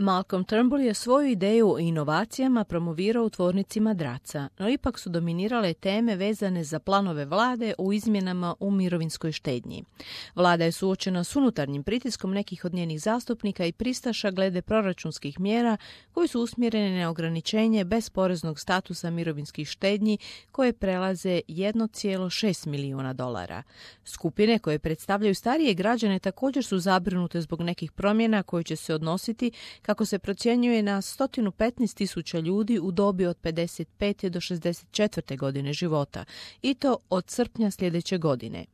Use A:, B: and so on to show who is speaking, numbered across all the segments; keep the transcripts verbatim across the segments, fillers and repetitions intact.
A: Malcolm Turnbull je svoju ideju o inovacijama promovirao u tvornici madraca, no ipak su dominirale teme vezane za planove vlade u izmjenama u mirovinskoj štednji. Vlada je suočena s unutarnjim pritiskom nekih od njenih zastupnika i pristaša glede proračunskih mjera koji su usmjerene na ograničenje bezporeznog statusa mirovinskih štednji koje prelaze jedan zarez šest milijuna dolara. Skupine koje predstavljaju starije građane također su zabrinute zbog nekih promjena koje će se odnositi, kako se procjenjuje, na sto petnaest tisuća ljudi u dobi od pedeset pete do šezdeset četvrte godine života, i to od srpnja sljedeće godine.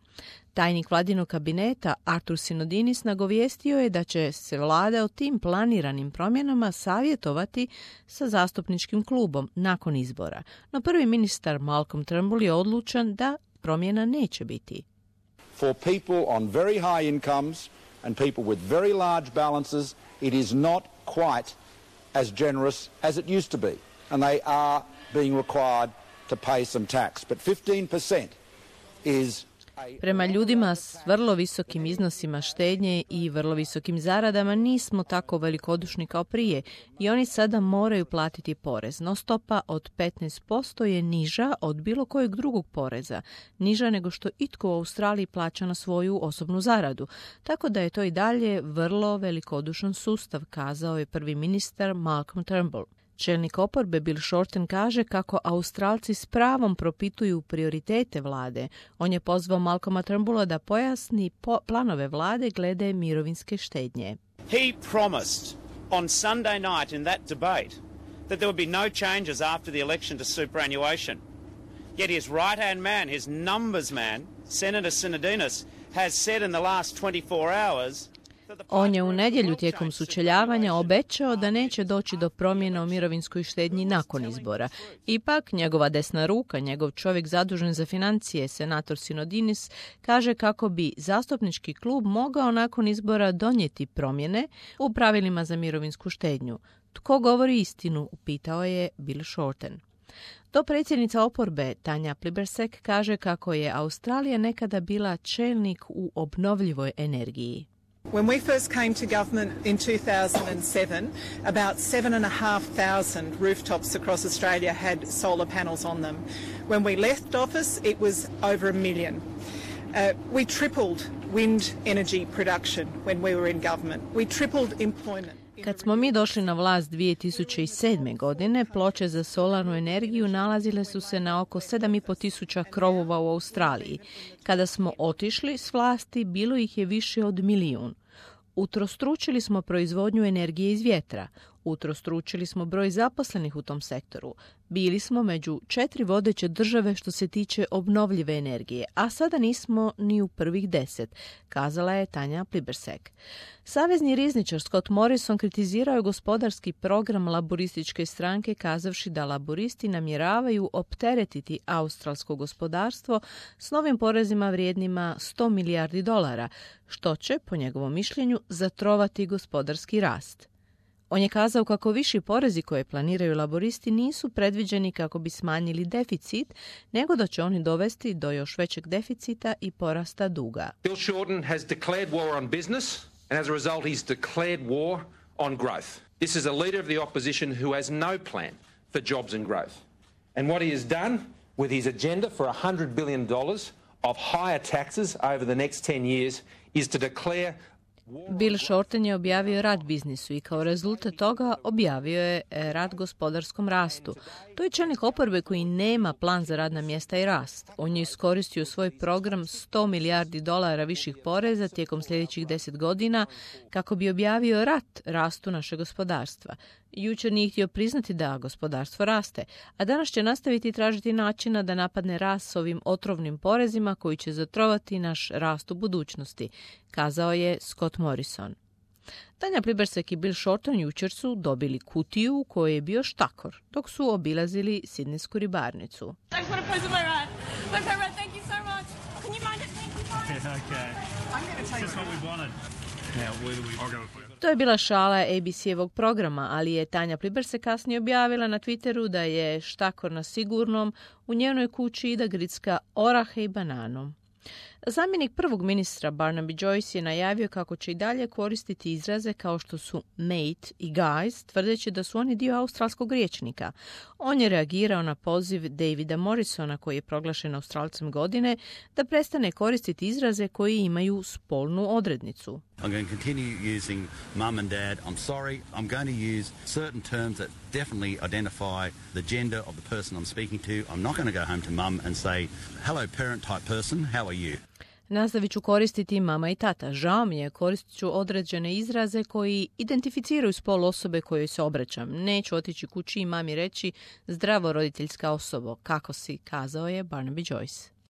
A: Tajnik vladinog kabineta Artur Sinodinis nagovijestio je da će se vlada o tim planiranim promjenama savjetovati sa zastupničkim klubom nakon izbora. No prvi ministar Malcolm Turnbull je odlučan da promjena neće biti.
B: For people on very high incomes and people with very large balances, it is not quite as generous as it used to be, and they are being required to pay some tax. But fifteen percent is
A: Prema ljudima s vrlo visokim iznosima štednje i vrlo visokim zaradama nismo tako velikodušni kao prije i oni sada moraju platiti porez, no stopa od petnaest posto je niža od bilo kojeg drugog poreza, niža nego što itko u Australiji plaća na svoju osobnu zaradu, tako da je to i dalje vrlo velikodušan sustav, kazao je prvi ministar Malcolm Turnbull. Čelnik oporbe Bill Shorten kaže kako Australci s pravom propituju prioritete vlade. On je pozvao Malcolma Turnbulla da pojasni po- planove vlade glede mirovinske štednje.
C: He promised on Sunday night in that debate that there would be no changes after the election to superannuation. Yet his right-hand man, his numbers man, Senator Sinodinos, has said in the last twenty-four hours
A: On je u nedjelju tijekom sučeljavanja obećao da neće doći do promjena u mirovinskoj štednji nakon izbora. Ipak, njegova desna ruka, njegov čovjek zadužen za financije, senator Sinodinis, kaže kako bi zastupnički klub mogao nakon izbora donijeti promjene u pravilima za mirovinsku štednju. Tko govori istinu, upitao je Bill Shorten. Dopredsjednica oporbe Tanja Plibersek kaže kako je Australija nekada bila čelnik u obnovljivoj energiji.
D: When we first came to government in two thousand seven, about seven and a half thousand rooftops across Australia had solar panels on them. When we left office, it was over a million. Uh, we tripled wind energy production when we were in government. We tripled employment.
A: Kad smo mi došli na vlast dvije tisuće sedme. godine, ploče za solarnu energiju nalazile su se na oko sedam i pol tisuća krovova u Australiji. Kada smo otišli s vlasti, bilo ih je više od milijun. Utrostručili smo proizvodnju energije iz vjetra. Utrostručili smo broj zaposlenih u tom sektoru. Bili smo među četiri vodeće države što se tiče obnovljive energije, a sada nismo ni u prvih deset, kazala je Tanja Plibersek. Savezni rizničar Scott Morrison kritizirao je gospodarski program laborističke stranke, kazavši da laboristi namjeravaju opteretiti australsko gospodarstvo s novim porezima vrijednima sto milijardi dolara, što će, po njegovom mišljenju, zatrovati gospodarski rast. On je kazao kako viši porezi koje planiraju laboristi nisu predviđeni kako bi smanjili deficit, nego da će oni dovesti do još većeg deficita i porasta duga.
E: Bill Shorten has declared war on business, and as a result he's declared war on growth. This is a leader of the opposition who has no plan for jobs and growth. And what he has done with his agenda for one hundred billion dollars of higher taxes over the next ten years is to declare
A: Bill Shorten je objavio rat biznisu i kao rezultat toga objavio je rat gospodarskom rastu. To je čelnik oporbe koji nema plan za radna mjesta i rast. On je iskoristio svoj program sto milijardi dolara viših poreza tijekom sljedećih deset godina kako bi objavio rat rastu našeg gospodarstva. Jučer nije htio priznati da gospodarstvo raste, a danas će nastaviti tražiti načina da napadne rast s ovim otrovnim porezima koji će zatrovati naš rast u budućnosti, kazao je Scott Morrison. Tanja Plibersek i Bill Shorten jučer su dobili kutiju u kojoj je bio štakor dok su obilazili sidnejsku ribarnicu. To je bila šala A B C-evog programa, ali je Tanja Plibersek kasnije objavila na Twitteru da je štakor na sigurnom u njenoj kući i da gricka orahe i bananom. Zamjenik prvog ministra Barnaby Joyce je najavio kako će i dalje koristiti izraze kao što su mate i guys, tvrdeći da su oni dio australskog rječnika. On je reagirao na poziv Davida Morrisona, koji je proglašen Australcem godine, da prestane koristiti izraze koji imaju spolnu odrednicu.
F: I'm going to continue using mum and dad. I'm sorry. I'm going to use certain terms that definitely identify the gender of the person I'm speaking to. I'm not going to go home to mum and say, hello parent type person, how are you?
A: Nastavit ću koristiti mama i tata. Žao mi je, koristit ću određene izraze koji identificiraju spol osobe kojoj se obraćam. Neću otići kući i mami reći zdravo roditeljska osobo, kako si, kazao je Barnaby Joyce.